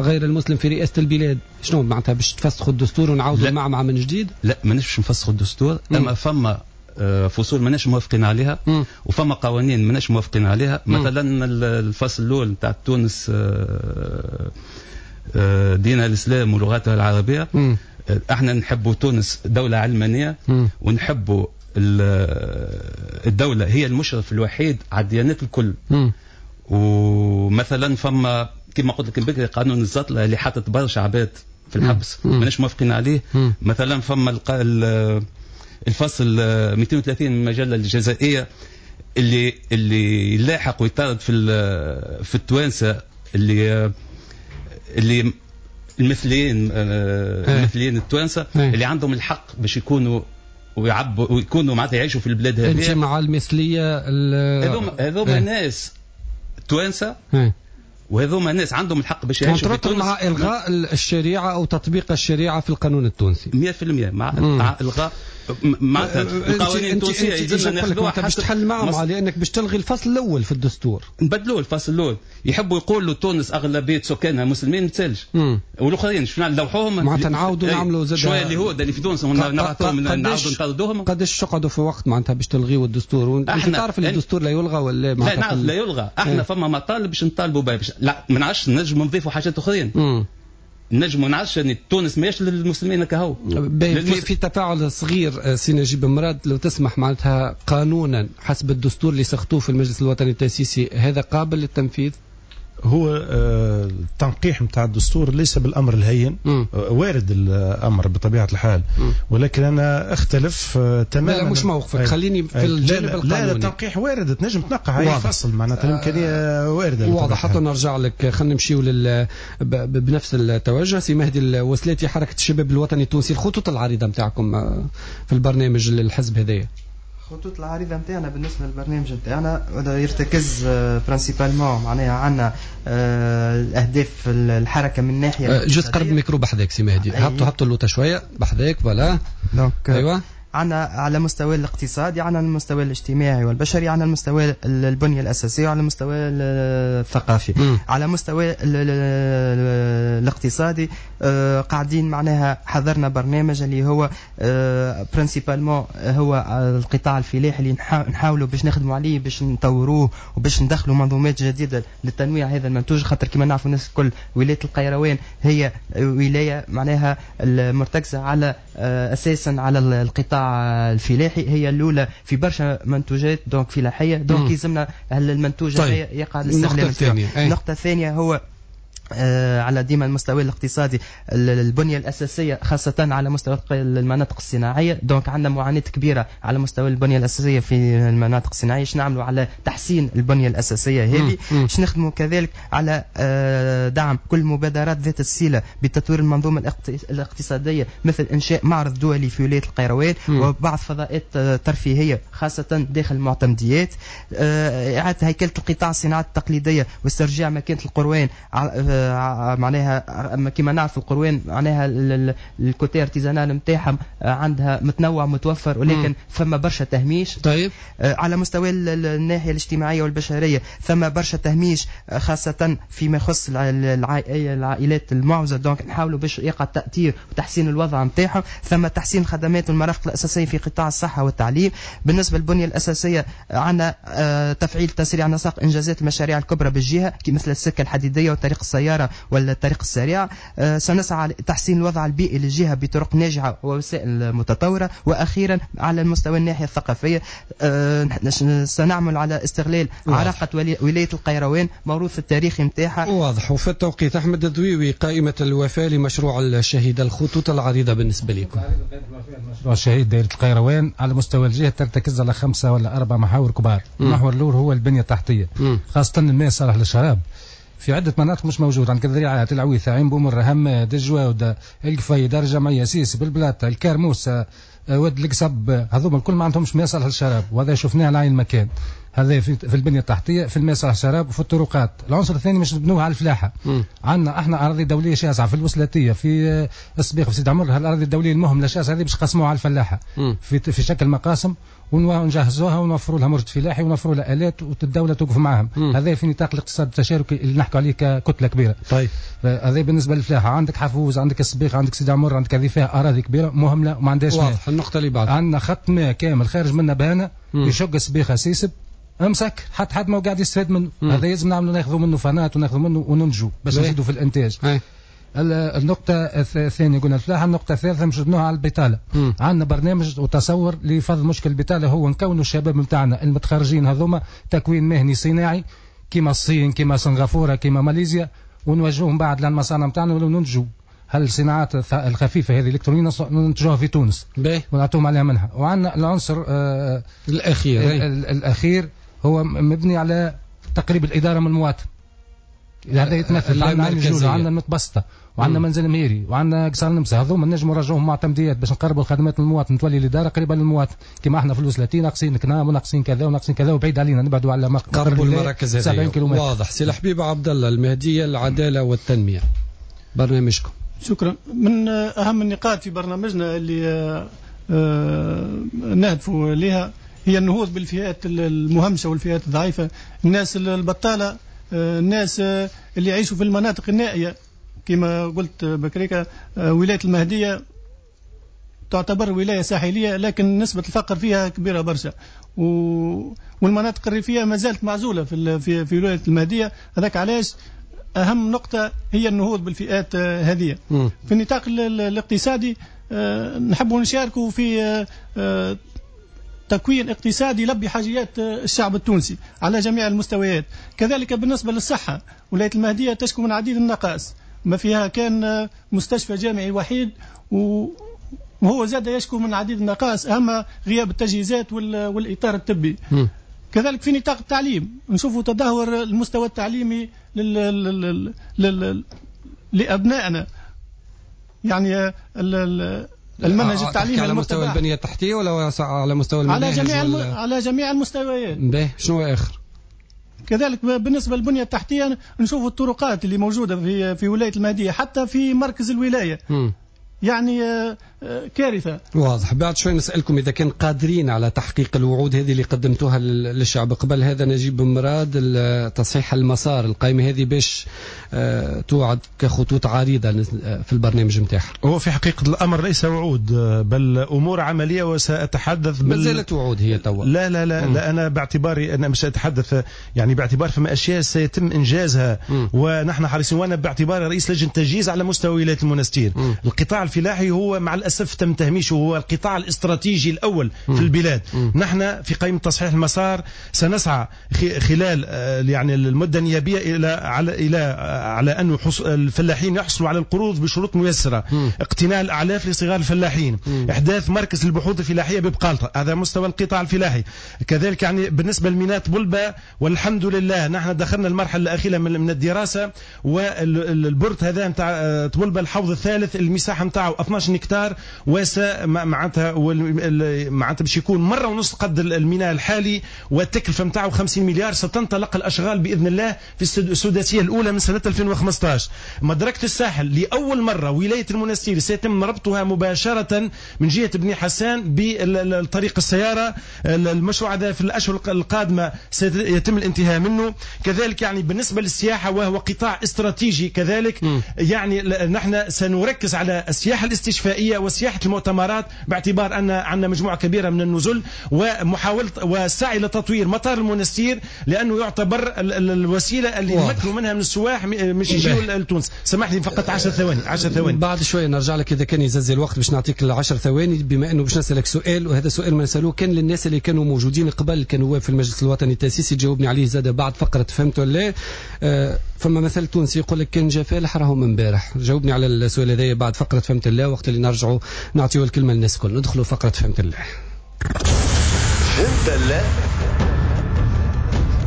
غير المسلم في رئاسة البلاد، شنو معناتها باش تفسخوا الدستور ونعاودوا المعمعة من جديد؟ لا، ماناش باش نفسخوا الدستور، اما فما فصول ماناش موافقين عليها وفما قوانين ماناش موافقين عليها. مثلا الفصل الاول نتاع تونس دينها الاسلام ولغتها العربية. احنا نحبوا تونس دولة علمانية، ونحبوا الدولة هي المشرف الوحيد على الديانات الكل. ومثلا فما كما قلت لك بكري قانون الزطله اللي حاطط برشا عباد في الحبس، ماناش موافقين عليه. مثلا فما الفصل 230 من المجلة الجزائيه اللي يلاحق ويطارد في التوانسة اللي المثليين المثليين التوانسة اللي عندهم الحق باش يكونوا ويعبوا ويكونوا معناتها يعيشوا في البلاد هذه. انت مع المثلية؟ هذوما ناس توانسة وهذوما ناس عندهم الحق باش يعيشوا في تونس. مع الغاء الشريعة او تطبيق الشريعة في القانون التونسي 100%، مع الغاء معناتها القوانين التونسية يلزمنا ناخذوها. باش تحل معهم لانك باش تلغي الفصل الاول في الدستور، نبدلوه الفصل الاول. يحبوا يقولوا تونس اغلبية سكانها مسلمين، ما تسالش، والاخرين شنو نلوحوهم معناتها نعاودوا نعملوا زاد شوية اليهود اللي في تونس نبعثوهم نعاودوا نطردوهم. قداش تقعدوا في وقت معناتها باش تلغيوا الدستور؟ وانت تعرف اللي الدستور لا يلغى ولا معناتها؟ لا نعرف لا يلغى. احنا فما مطالب باش نطالبوا بها، لا ما نعرفش نجموا نضيفوا حاجات اخرين. نجم نعرفش ان تونس ماهيش للمسلمين كهو. في تفاعل صغير سي نجيب مراد لو تسمح، معناتها قانونا حسب الدستور اللي سخطوه في المجلس الوطني التأسيسي هذا قابل للتنفيذ؟ هو التنقيح نتاع الدستور ليس بالامر الهين، وارد الامر بطبيعة الحال، ولكن انا اختلف تماما. لا مش موقفك، خليني في الجانب القانوني. لا التنقيح وارد، تنجم تنقح اي فصل، معناتها الامكانية وارده. واضح. حتى نرجع لك، خلينا نمشيو بنفس التوجه. سي مهدي الوسلاتي، حركة الشباب الوطني التونسي، الخطوط العريضة نتاعكم في البرنامج للحزب هذايا؟ الخطوط العريضة نتاعنا بالنسبة للبرنامج نتاعنا يرتكز principalement معناها عندنا الأهداف الحركة من ناحية. juste قرب الميكرو بحذاك سي مهدي، هبطوا اللوطة شوية بحذاك، voilà. أيوة. عندنا على مستوى الاقتصادي، عندنا المستوى الاجتماعي والبشري، عندنا المستوى البنية الأساسية، وعلى المستوى الثقافي. على مستوى الاقتصادي قاعدين معناها حضرنا برنامج اللي هو principalement هو القطاع الفلاحي اللي نحاولوا باش نخدموا عليه، باش نطوروه وباش ندخلوا منظومات جديدة لتنويع هذا المنتوج، خاطر كما نعرفوا الناس الكل ولاية القيروان هي ولاية معناها المرتكزة على أساسا على القطاع الفلاحي، هي الاولى في برشا منتوجات donc فلاحية، donc يلزمنا المنتوج طيب. يقع الاستغلال. النقطة الثانية هو على ديما المستوى الاقتصادي البنية الأساسية خاصة على مستوى المناطق الصناعية، donc عندنا معاناة كبيرة على مستوى البنية الأساسية في المناطق الصناعية، باش نعملوا على تحسين البنية الأساسية هذه، باش نخدموا كذلك على دعم كل مبادرات ذات الصلة بتطوير المنظومة الاقتصادية، مثل إنشاء معرض دولي في ولاية القيروان وبعض فضاءات ترفيهية خاصة داخل المعتمديات، إعادة هيكلة القطاع الصناعات التقليدية واسترجاع مكانة القروان، معناها كما نعرف القروان معناها ال côté artisanal نتاعهم عندها متنوع متوفر، ولكن فما برشا تهميش. طيب على مستوى الناحية الاجتماعية والبشريه ثم برشا تهميش خاصة فيما يخص العائلات المعوزه، donc نحاولوا باش يقع تاثير وتحسين الوضع نتاعهم. ثم تحسين الخدمات والمرافق الاساسية في قطاع الصحة والتعليم. بالنسبة للبنيه الاساسية عندنا تفعيل تسريع نسق انجازات المشاريع الكبرى بالجهة مثل السكة الحديدية وطريق السيارة والطريق السريع. سنسعى لتحسين الوضع البيئي للجهة بطرق ناجعة ووسائل متطورة. وأخيرا على المستوى الناحية الثقافية سنعمل على استغلال عراقة ولاية القيروان موروث التاريخي نتاعها. واضح. وفي التوقيت أحمد الضويوي، قائمة الوفاة لمشروع الشهيد، الخطوط العريضة بالنسبة لكم. مشروع الشهيد دائرة القيروان على مستوى الجهة ترتكز على 5 ولا 4 محاور كبار. المحور الأول هو البنية التحتية، خاصة الماء الصالح للشراب في عدة مناطق مش موجود، عندك الذريعات، العويثة، عين بومر، هماد، الجواودة، القفي، دار جمعية، سيس، بالبلاطة، الكرموسة، واد القصب، هذوما الكل ما عندهمش ماء صالح للشراب، وهذا شفناه على عين المكان. هذا في البنية التحتية، في الماء صالح الشراب، وفي الطرقات. العنصر الثاني مش نبنوه على الفلاحة. عندنا احنا اراضي دولية شاسعه في الوسلاتيه، في السبيخ، في سيدي عمر. الاراضي الدولية المهملة شاسعه هذه باش نقسموها على الفلاحة في شكل مقاسم، ونجهزوها ونوفروا لها مرشد فلاحي ونوفروا لها الات، والدولة توقف معاهم. هذا في نطاق الاقتصاد التشاركي اللي نحكوا عليه ككتله كبيرة. طيب هذا بالنسبة للفلاحه. عندك حفوز، عندك السبيخ، عندك سيدي عمر، عندك هذه فيها اراضي كبيرة مهملة وما عندهاش ماء. واضح. النقطة اللي بعد، عندنا خط ماء كامل خارج منا بهنا يشق السبيخه سيسب امسك، حتى حد ما قاعد يستفاد منه. هذا لازم نعملوا، ناخذوا منه فنات وناخذوا منه وننجو باش نزيدوا في الانتاج. النقطة الثانية قلنا الفلاحة. النقطة الثالثة مش نبنوها على البطالة. عندنا برنامج وتصور لفض مشكل البطالة، هو نكونوا الشباب نتاعنا المتخرجين هذوما تكوين مهني صناعي كيما الصين، كيما سنغافورة، كيما ماليزيا، ونوجهوهم بعد للمصانع نتاعنا وننتجوا هالصناعات الخفيفة هذه الإلكترونية ننتجوها في تونس ونعطوهم عليها منها. وعندنا العنصر الأخير الأخير هو مبني على تقريب الإدارة من المواطن. هذا يتمثل عندنا الجولة، وعندنا المتبسطة، وعندنا منزل مهيري، وعندنا قصر النمسا. هذوما نجموا نرجعوهم معتمديات باش نقربوا الخدمات للمواطن، تولي الإدارة قريبة للمواطن. كما احنا في الوسلاتين ناقصين كنام وناقصين كذا وناقصين كذا وبعيد علينا، نبعدوا على قربوا المراكز هذه. واضح. سي الحبيب عبد الله، المهدية العدالة والتنمية، برنامجكم. شكرا. من أهم النقاط في برنامجنا اللي نهدف لها هي النهوض بالفئات المهمشة والفئات الضعيفة، الناس البطالة، الناس اللي يعيشوا في المناطق النائية. كما قلت بكريكا، ولاية المهدية تعتبر ولاية ساحلية، لكن نسبة الفقر فيها كبيرة برشا، والمناطق الريفية ما زالت معزولة في ولاية المهدية. هذاك علاش أهم نقطة هي النهوض بالفئات هذه. في النطاق الاقتصادي نحب نشاركوا في تكوين اقتصادي يلبي حاجيات الشعب التونسي على جميع المستويات. كذلك بالنسبة للصحة، ولاية المهدية تشكو من عديد النقائص، ما فيها كان مستشفى جامعي وحيد، وهو زاد يشكو من عديد النقائص، أهم غياب التجهيزات والإطار الطبي. كذلك في نطاق التعليم نشوفوا تدهور المستوى التعليمي لأبنائنا، يعني المنهج التعليمي على مستوى البنية التحتية ولا على مستوى المناهج؟ على جميع المستويات. باهي، شنو آخر؟ كذلك بالنسبة للبنية التحتية نشوفوا الطرقات اللي موجودة في ولاية المهدية حتى في مركز الولاية. يعني كارثة. واضح. بعد شوي نسألكم إذا كان قادرين على تحقيق الوعود هذه اللي قدمتوها للشعب. قبل هذا نجيب مراد، تصحيح المسار، القائمة هذه باش توعد كخطوط عريضة في البرنامج نتاعها. هو في حقيقة الأمر ليس وعود بل أمور عملية، وسأتحدث ما زالت وعود هي توا. لا لا لا, لا، أنا باعتباري أنا مش أتحدث يعني باعتبار فما أشياء سيتم إنجازها ونحن حريصين، وأنا باعتباري رئيس لجنة تجهيز على مستوى ولاية المنستير. القطاع الفلاحي هو مع الأسف تم تهميشه، هو القطاع الاستراتيجي الأول في البلاد. نحن في قائمة تصحيح المسار سنسعى خلال يعني المدة النيابية إلى على أن الفلاحين يحصلوا على القروض بشروط ميسرة، اقتناء الأعلاف لصغار الفلاحين، إحداث مركز للبحوث الفلاحية ببقالطة، هذا مستوى القطاع الفلاحي. كذلك يعني بالنسبة لميناء بلبة، والحمد لله نحن دخلنا المرحلة الأخيرة من الدراسة، والبرت هذا نتاع طبلبة الحوض الثالث المساحة نتاعو 12 هكتار، واسع معناتها باش يكون مرة ونص قد الميناء الحالي، والتكلفة نتاعو 50 مليار. ستنطلق الأشغال بإذن الله في السداسية الأولى من سنة 2015. مدركة الساحل لأول مرة ولاية المنستير سيتم ربطها مباشرة من جهة بني حسان بالطريق السيارة. المشروع هذا في الأشهر القادمة سيتم الانتهاء منه. كذلك يعني بالنسبة للسياحة وهو قطاع استراتيجي كذلك، يعني نحن سنركز على السياحة الاستشفائية وسياحة المؤتمرات، باعتبار أن عندنا مجموعة كبيرة من النزل، ومحاولة والسعي لتطوير مطار المنستير لأنه يعتبر الوسيلة اللي نمكنوا منها من السواح مش يجيوا لتونس. سمح لي فقط 10 ثواني، 10 ثواني بعد شوية نرجع لك إذا كان يززي الوقت باش نعطيك 10 ثواني، بما أنه باش نسألك سؤال، وهذا سؤال ما نسألوه كان للناس اللي كانوا موجودين قبل كانوا في المجلس الوطني التأسيسي، تجاوبني عليه زاد بعد فقرة فهمت ولا. فما مثل تونسي يقول لك كان جا فالح راهو من امبارح. جاوبني على السؤال هذا بعد فقرة فهمت الله، وقت اللي نرجعوا نعطيو الكلمة للناس الكل. ندخلوا فقرة فهمت الله. فهمت الله،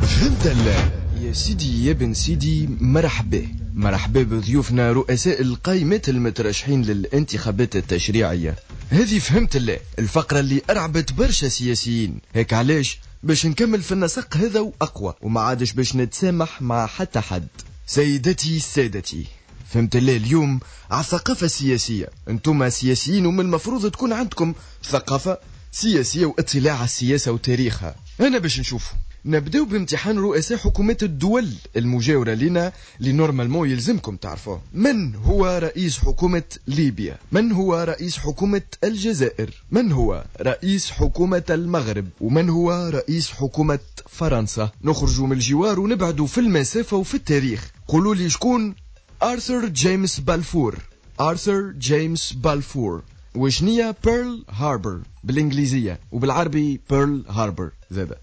فهمت الله يا سيدي يا بن سيدي. مرحبا مرحبا بضيوفنا رؤساء القائمات المترشحين للانتخابات التشريعية. هذه فهمت الله، الفقرة اللي أرعبت برشا سياسيين. هيك علاش باش نكمل في النسق هذا وأقوى، وما عادش باش نتسامح مع حتى حد. سيدتي سادتي، فهمت الله اليوم على الثقافة السياسية. انتم سياسيين ومن المفروض تكون عندكم ثقافة سياسية واطلاع على السياسة وتاريخها. أنا باش نشوفه نبداو بامتحان رؤساء حكومات الدول المجاورة لنا اللي normalement يلزمكم تعرفوه. من هو رئيس حكومة ليبيا؟ من هو رئيس حكومة الجزائر؟ من هو رئيس حكومة المغرب؟ ومن هو رئيس حكومة فرنسا؟ نخرج من الجوار ونبعدوا في المسافة وفي التاريخ. قولوا لي شكون آرثر جيمس بالفور؟ آرثر جيمس بالفور. وشنية بيرل هاربر بالإنجليزية وبالعربي بيرل هاربر زادا؟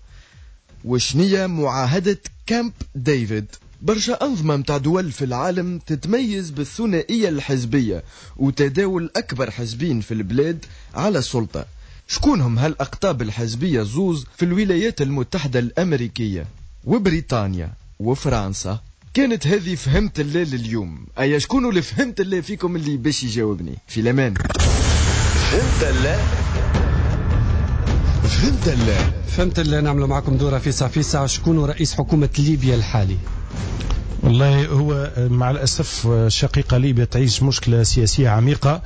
وشنية معاهدة كامب ديفيد؟ برشا أنظمة متاع دول في العالم تتميز بالثنائية الحزبية وتداول أكبر حزبين في البلاد على السلطة. شكونهم هالأقطاب الحزبية زوز في الولايات المتحدة الأمريكية وبريطانيا وفرنسا؟ كانت هذه فهمت الليل اليوم. أي شكون اللي فهمت الليل فيكم اللي باش يجاوبني؟ في الأمان. فهمت الليل، فهمت الليل، فهمت الليل. نعملوا معكم دورة فيسع فيسع. شكون رئيس حكومة ليبيا الحالي؟ والله هو مع الأسف شقيقة ليبيا تعيش مشكلة سياسية عميقة.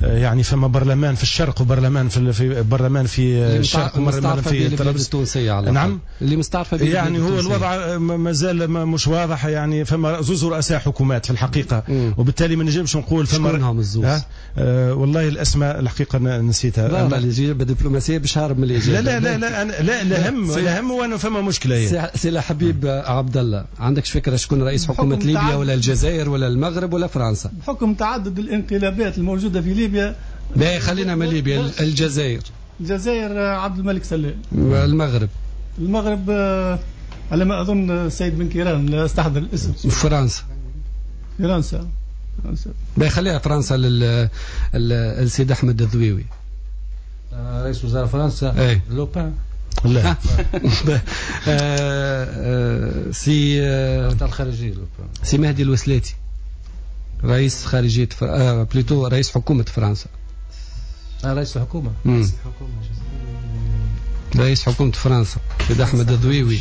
يعني فما برلمان في الشرق وبرلمان في برلمان في الشرق وبرلمان في طرابلس التونسية. على نعم اللي مستعرفة به يعني هو الوضع مازال مش واضح. يعني فما زوز رؤساء حكومات في الحقيقة. وبالتالي ما نجمش نقول فما شكونهم الزوز. والله الأسماء الحقيقة نسيتها. لا اللي يجيب دبلوماسية باش هارب من الإجابة. لا لا لا لا لا لا هم وأنا فما مشكلة. هي سي حبيب عبد الله، عندكش فكرة شكون رئيس حكومة ليبيا ولا الجزائر ولا المغرب ولا فرنسا؟ بحكم تعدد الانقلابات الموجودة في ليبيا. لا خلينا من ليبيا. الجزائر. الجزائر عبد الملك سلال. المغرب. المغرب على ما أظن السيد بن كيران، لا استحضر الاسم. فرنسا. فرنسا. لا خليها فرنسا للسيد أحمد الذويوي. رئيس وزراء فرنسا لوبان. لا سي الخارجية سي مهدي الوسلاتي رئيس خارجية plutôt رئيس حكومة فرنسا. رئيس الحكومة. رئيس حكومة فرنسا سيد أحمد الذويوي.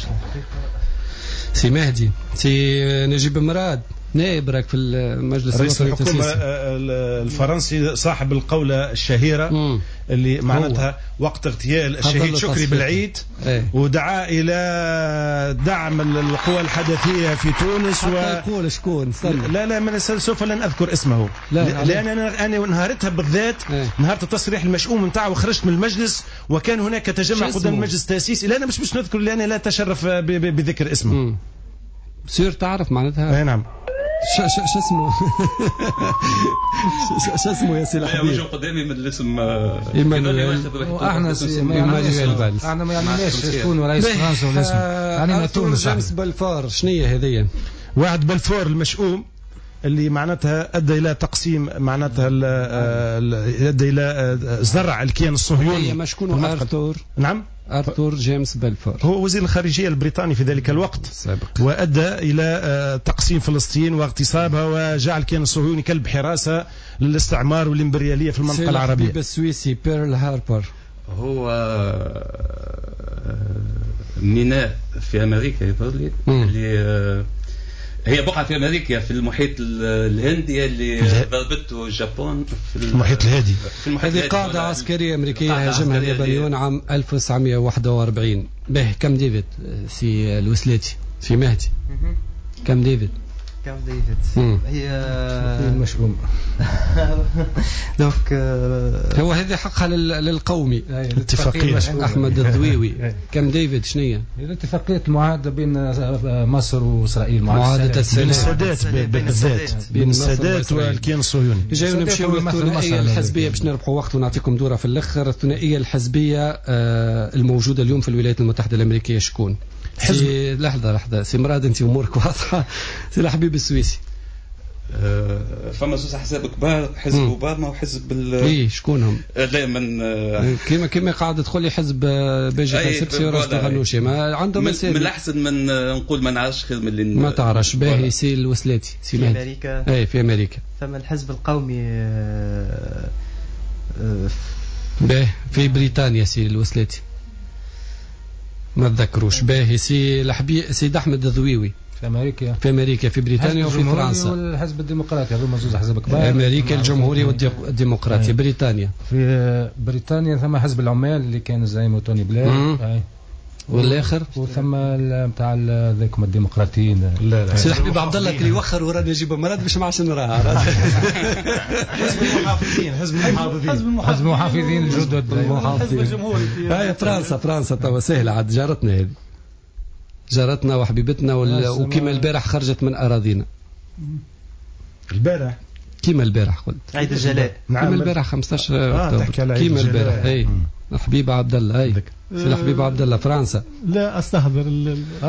سي مهدي. سي نجيب مراد نائب راك في المجلس رئيس الحكومة الفرنسي صاحب القولة الشهيرة اللي معناتها وقت اغتيال الشهيد شكري بالعيد ودعا إلى دعم القوى الحدثية في تونس. يقول شكون؟ لا لا من سوف لن أذكر اسمه. لا لأن أنا نهارتها بالذات نهار التصريح المشؤوم نتاعه وخرجت من المجلس وكان هناك تجمع قدام المجلس التأسيسي. لا أنا مش نذكر لأني لا أتشرف بذكر اسمه. سير تعرف معناتها؟ اي نعم. شو اسمه؟ شو اسمه يا سي الحبيب؟ وجهه قدامي من الاسم ايمانويل. احنا احنا ما يعنيناش شكون رئيس فرنسا ولا اسمه، يعني تونس. جيمس بلفور شنية هذيا؟ واحد بلفور المشؤوم اللي معناتها ادى الى تقسيم، معناتها ادى الى زرع الكيان الصهيوني. ما شكون ارثور؟ نعم أرثور جيمس بلفور هو وزير الخارجية البريطاني في ذلك الوقت السابق، وأدى إلى تقسيم فلسطين واغتصابها وجعل الكيان الصهيوني كلب حراسة للاستعمار والإمبريالية في المنطقة العربية. السويسي بيرل هاربر هو ميناء في أمريكا يظهر لي، اللي هي بقعة في أمريكا في المحيط الهندي اللي ضربته اليابان في المحيط الهادي. هذه قاعدة عسكرية أمريكية هاجمها اليابانيون عام 1941. به كم ديفيد سي الوسلاتي سي مهدي؟ كم ديفيد؟ كم ديفيد هي المشؤوم. donc هو هذه حقها للقومي اتفاقية أحمد الذويوي. كم ديفيد شنية؟ اتفاقية المعاهدة بين مصر وإسرائيل، معاهدة السلام بين السادات بالذات، بين السادات والكيان الصهيوني. جايو نمشيو للثنائية الحزبية باش نربحوا وقت ونعطيكم دورة في الآخر. الثنائية الحزبية الموجودة اليوم في الولايات المتحدة الأمريكية شكون؟ حزب. لحظة لحظة سي مراد أنت أمورك واضحة. سي الحبيب السويسي. فما زوز احزاب كبار، حزب اوباما وحزب اي شكونهم؟ لا من كيما قاعد تقول لي حزب باجي سبسي وراشد الغنوشي ما عندهم من الاحسن من نقول ما نعرفش خير من اللي ما تعرفش. باهي سي الوسلاتي سي في امريكا. اي في امريكا فما الحزب القومي. باهي في بريطانيا سي الوسلاتي. ما تذكروش. باهي سي الحبيب سيد احمد الذويوي في امريكا، في امريكا، في بريطانيا وفي فرنسا. والحزب الديمقراطي هذوما زوج احزاب كبار، امريكا الجمهوري والديمقراطي. بريطانيا، في بريطانيا ثم حزب العمال اللي كان زعيمه توني بلير، والاخر وثم نتاع ذاكم الديمقراطيين. لا لا سي حبيب عبد الله كي يوخر ورانا نجيب مراد باش ما عادش نراها. حزب المحافظين، حزب المحافظين، حزب المحافظين الجدد، الحزب الجمهوري. هاي فرنسا، فرنسا توا سهلة عاد، جارتنا هذه، جارتنا وحبيبتنا، وكيما البارح خرجت من اراضينا. البارح كيما البارح قلت عيد الجلاء. نعم كيما البارح 15 اكتوبر، كيما البارح. اي حبيب عبد الله، اي سي الحبيب عبد الله فرنسا. لا استحضر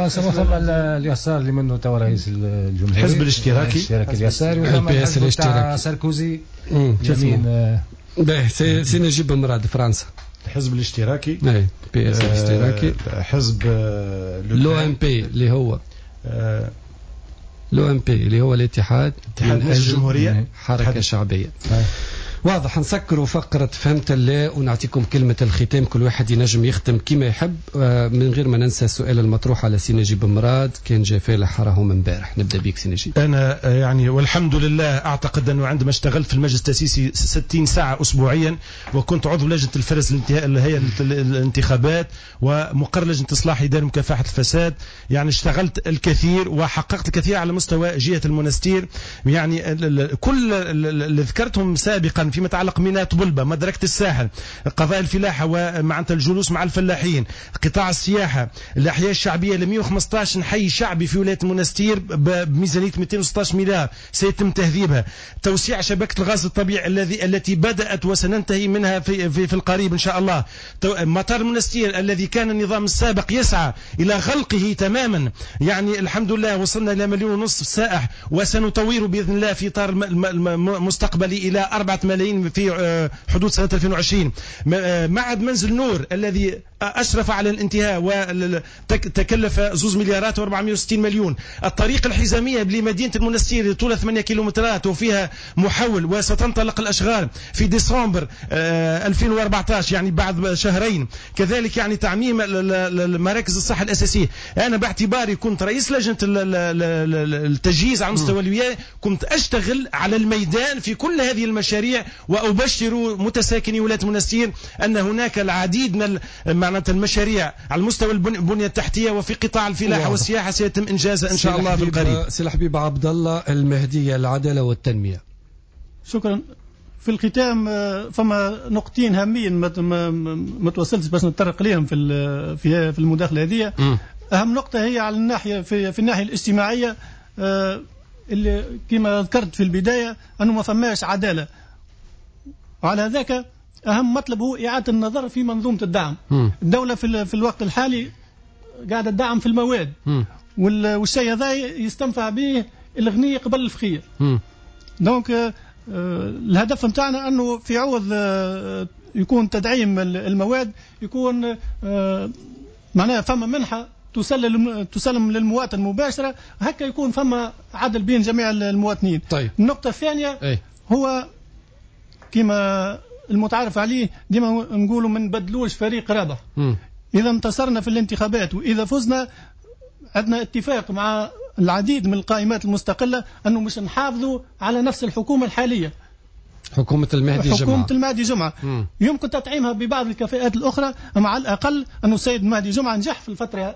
ثم اليسار اللي منه تو رئيس الجمهورية، الحزب الاشتراكي، الاشتراكي اليساري، وثم الحزب الاشتراكي ساركوزي يمين. باهي سي نجيب مراد فرنسا. الحزب الاشتراكي، اي PS الاشتراكي، حزب l'UMP اللي هو l'UMP اللي هو الاتحاد اتحاد الجمهورية، حركة شعبية. واضح. نسكروا فقرة فهمت الله ونعطيكم كلمة الختام، كل واحد ينجم يختم كما يحب، من غير ما ننسى السؤال المطروح على سي نجيب مراد، كان جا فالح راهو من امبارح. نبدأ بك سي نجيب. أنا يعني والحمد لله أعتقد أنه عندما اشتغلت في المجلس التأسيسي 60 ساعة أسبوعيا، وكنت عضو لجنة الفرز اللي هي الانتخابات، ومقر لجنة إصلاح إدارة مكافحة الفساد، يعني اشتغلت الكثير وحققت الكثير على مستوى جهة المنستير. يعني كل اللي ذكرتهم سابقا فيما يتعلق ميناء طبلبة، مدركة الساحل، قضايا الفلاحة ومعناتها الجلوس مع الفلاحين، قطاع السياحة، الأحياء الشعبية ل 115 حي شعبي في ولاية المنستير بميزانية 216 مليار سيتم تهذيبها، توسيع شبكة الغاز الطبيعي التي بدأت وسننتهي منها في في, في القريب إن شاء الله، مطار المنستير الذي كان النظام السابق يسعى إلى غلقه تماما، يعني الحمد لله وصلنا إلى 1.5 مليون سائح، وسنطوره بإذن الله في إطار مستقبلي إلى 4 ملايين في حدود سنة 2020. معهد منزل نور الذي أشرف على الانتهاء وتكلف 2 مليارات و460 مليون. الطريق الحزامية لمدينة المنستير طولها 8 كيلومترات وفيها محول، وستنطلق الأشغال في ديسمبر 2014، يعني بعد شهرين. كذلك يعني تعميم مراكز الصحة الأساسية. أنا باعتباري كنت رئيس لجنة التجهيز على مستوى الولاية، كنت أشتغل على الميدان في كل هذه المشاريع، وأبشر متساكني ولاية المنستير أن هناك العديد من معناتها المشاريع على مستوى البنية التحتية وفي قطاع الفلاحة والسياحة سيتم إنجازها إن شاء الله في القريب. سي الحبيب عبد الله المهدية، العدالة والتنمية. شكرا. في الختام فما نقطتين هامين ما توصلتش باش نتطرق لهم في المداخلة هذه. أهم نقطة هي على الناحية في الناحية الاجتماعية، اللي كما ذكرت في البداية أنه ما فماش عدالة، وعلى ذاك أهم مطلب هو إعادة النظر في منظومة الدعم. الدولة في الوقت الحالي قاعدة تدعم في المواد، والشيء هذا يستنفع به الغني قبل الفقير. donc الهدف نتاعنا أنه في عوض يكون تدعيم المواد، يكون معناها فما منحة تسلم للمواطن مباشرة، هكا يكون فما عدل بين جميع المواطنين. طيب. النقطة الثانية هو كما المتعارف عليه ديما نقولوا ما نبدلوش فريق رابح. إذا انتصرنا في الانتخابات وإذا فزنا، عندنا اتفاق مع العديد من القائمات المستقلة أنه مش نحافظوا على نفس الحكومة الحالية، حكومة المهدي جمعة. حكومة المهدي جمعة يمكن تطعيمها ببعض الكفاءات الأخرى، أما على الأقل أن السيد المهدي جمعة نجح في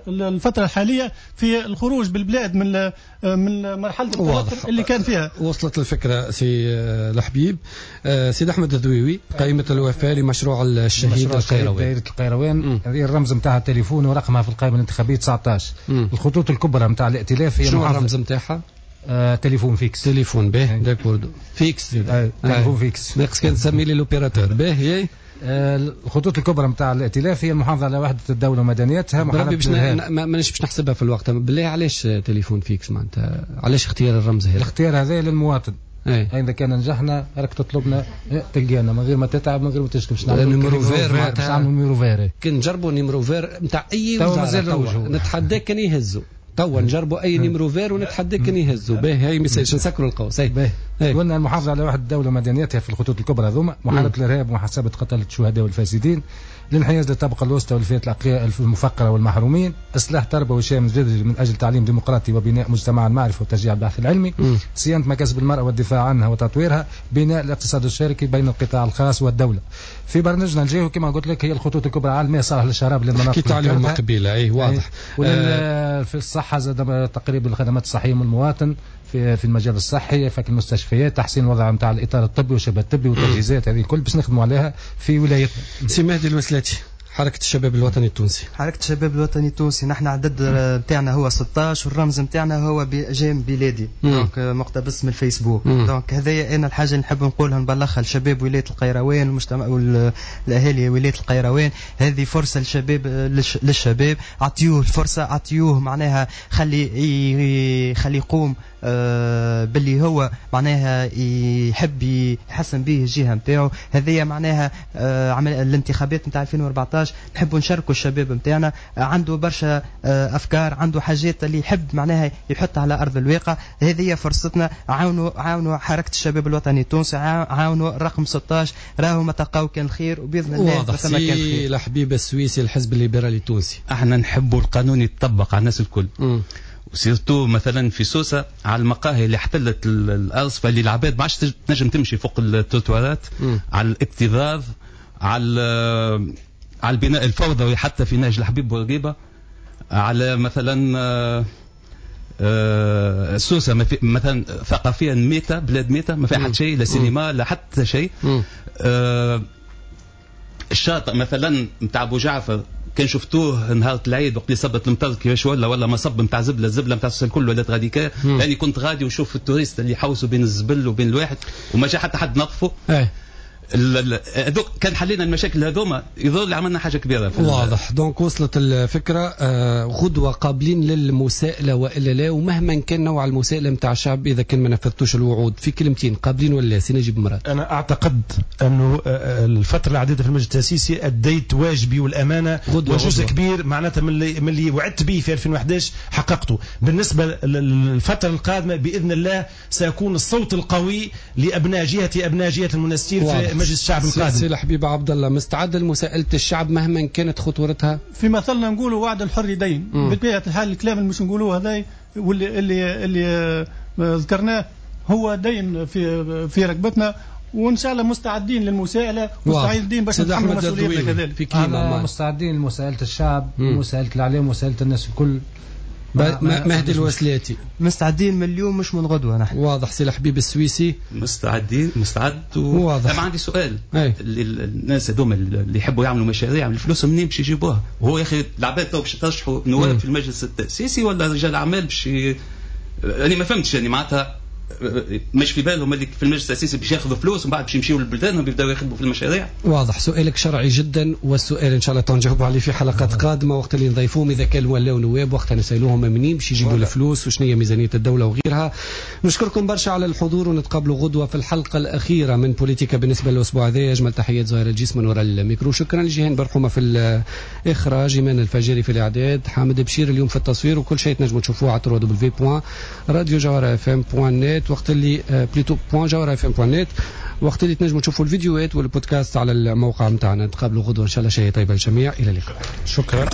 الفترة الحالية في الخروج بالبلاد من مرحلة التوتر اللي كان فيها. وصلت الفكرة سي الحبيب. سيد أحمد الذويوي، قائمة الوفاء لمشروع الشهيد القيروان، دائرة القيروان، هذه الرمز نتاعها التليفون ورقمها في القائمة الانتخابية 19. الخطوط الكبرى نتاع الائتلاف هي شنو الرمز نتاعها؟ téléphone fixe. تليفون به d'accord fixe، téléphone fixe ناقص كان تسمي لي l'opérateur به. الخطوط الكبرى نتاع الائتلاف هي المحافظة على وحده الدولة ومدنيتها. بربي باش مانيش باش نحسبها في الوقت. بالله علاش téléphone fixe معناتها؟ علاش اختيار الرمز هذا؟ الاختيار هذا للمواطن. اذا كان نجحنا راك تطلبنا تلقانا من غير ما تتعب من غير ما تشكي. باش نعملوا numéro vert معناتها، نعملوا numéro vert. كي نجربوا numéro vert نتاع اي وزارة نتحداك كان يهزوا. توا نجربوا اي numéro vert ونتحداك كان يهزوا. باهي هاي message نسكروا القوس. قلنا المحافظة على وحده الدولة ومدنيتها في الخطوط الكبرى هذوما، محاربة الارهاب ومحاسبه قتله الشهداء والفاسدين، الانحياز للطبقة الوسطى والفئات المفقره والمحرومين، اصلاح تربوي شامل جذري من اجل تعليم ديمقراطي وبناء مجتمع المعرفة وتشجيع البحث العلمي، صيانة مكاسب المراة والدفاع عنها وتطويرها، بناء الاقتصاد الشركي بين القطاع الخاص والدولة. في برنامجنا الجاي كما قلت لك هي الخطوط الكبرى على الماء صالح للشراب للمناطق حكيت عليهم قبيلة. اي واضح. في الصحة زاد تقريب الخدمات الصحية من المواطن في المجال الصحي، فك المستشفيات، تحسين الوضع نتاع الاطار الطبي والشبه الطبي والتجهيزات هذه الكل باش نخدموا عليها في ولايتنا. سي مهدي الوسلاتي، حركة الشباب الوطني التونسي. حركة الشباب الوطني التونسي نحن عدد نتاعنا هو 16 والرمز نتاعنا هو j'aime بلادي، donc مقتبس من الفيسبوك. donc هذايا انا الحاجة اللي نحب نقولها نبلغها لشباب ولاية القيروان والمجتمع والاهالي ولاية القيروان، هذه فرصة للشباب، للشباب اعطيوه الفرصة، اعطيوه معناها خلي يقوم باللي هو معناها يحب يحسن به الجهة نتاعو. هذه معناها عمل الانتخابات نتاع 2014 نحبوا نشاركوا الشباب نتاعنا، عنده برشا افكار، عنده حاجات اللي يحب معناها يحطها على ارض الواقع. هذه فرصتنا، عاونوا حركة الشباب الوطني التونسي، عاونوا الرقم 16، راهو ما تلقاو كان الخير وباذن الله. واضح. سي الحبيب السويسي، الحزب الليبرالي التونسي، احنا نحبوا القانون يتطبق على الناس الكل، و surtout مثلا في سوسة على المقاهي اللي احتلت الارصفه اللي العباد ما عادش تنجم تمشي فوق التروتوارات، على الاكتظاظ، على البناء الفوضوي حتى في نهج الحبيب بورقيبة، على مثلا سوسة مثلا ثقافيا ميته، بلاد ميته ما فيها حتى شيء، لا سينما لا حتى شيء. الشاطئ مثلا نتاع ابو جعفر كان شفتوه نهار العيد وقت اللي صبت المطر كيفاش ولا مصب نتاع زبله، الزبله نتاع السوسه الكل ولات غاديكا. يعني كنت غادي ونشوف ال touristes اللي يحوسوا بين الزبل وبين الواحد وما جا حتى حد نظفه. هذوك كان حلينا المشاكل هذوما يظل اللي عملنا حاجة كبيرة. واضح. donc وصلت الفكرة. غدوه قابلين للمساءله والا لا، ومهما كان نوع المساءلة نتاع الشعب اذا كان ما نفذتوش الوعود في كلمتين، قابلين ولا لا؟ سي نجيب مراد. انا اعتقد انه الفترة العديدة في المجلس التاسيسي اديت واجبي والامانة وجزء كبير معناتها من اللي وعدت به في 2011 حققته. بالنسبة للفترة القادمة باذن الله سيكون الصوت القوي لابناء جهتي، ابناء جهة المنستير في مجلس الشعب القادم. سي الحبيب عبد الله، مستعد لمساءلة الشعب مهما كانت خطورتها؟ في مثلنا نقولوا وعد الحر دين. بطبيعة الحال الكلام اللي مش نقولوه هذا واللي اللي اللي ذكرناه هو دين في ركبتنا، وان شاء الله مستعدين للمساءله، مستعدين باش نتحملوا مسؤوليتنا كذلك. في كلمة، مستعدين لمساءله الشعب، مساءله الاعلام، مساءله الناس الكل. مهدي الوسلاتي، مستعدين من اليوم مش من غدوه نحن. واضح. سي الحبيب السويسي، مستعدين، مستعد واضح. انا عندي سؤال. الناس هذوما اللي يحبوا يعملوا مشاريع الفلوس منين باش يجيبوها؟ وهو يا اخي العباد تو باش ترشحوا نواب في المجلس التاسيسي ولا رجال اعمال باش انا ما فهمتش، يعني معناتها مش في بالهم اللي في المجلس التاسيسي باش ياخذوا فلوس ومن بعد باش يمشيوا للبلدان ويبداو يخدموا في المشاريع. واضح. سؤالك شرعي جدا، والسؤال ان شاء الله تنجاوب عليه في حلقات قادمة وقت اللي نضيفوهم اذا كانوا ولاو نواب، وقتها نسالوهم منين باش يجيبوا الفلوس وشنو هي ميزانية الدولة وغيرها. نشكركم برشا على الحضور، ونتقابلوا غدوه في الحلقة الاخيرة من بوليتيكا بالنسبة للاسبوع هذا. اجمل تحيات زهير الجيس من وراء الميكرو، شكرا لجيهان برحومه في الاخراج، ايمان الفجاري في الاعداد، حامد بشير اليوم في التصوير، وكل شيء تنجموا تشوفوه على www.radiojawharafm.net وقت اللي plutôt .jawharafm.net، وقت اللي تنجموا تشوفوا الفيديوهات والبودكاست على الموقع نتاعنا. نتقابلوا غدوه ان شاء الله. شيء طيب للجميع، الى اللقاء. شكرا.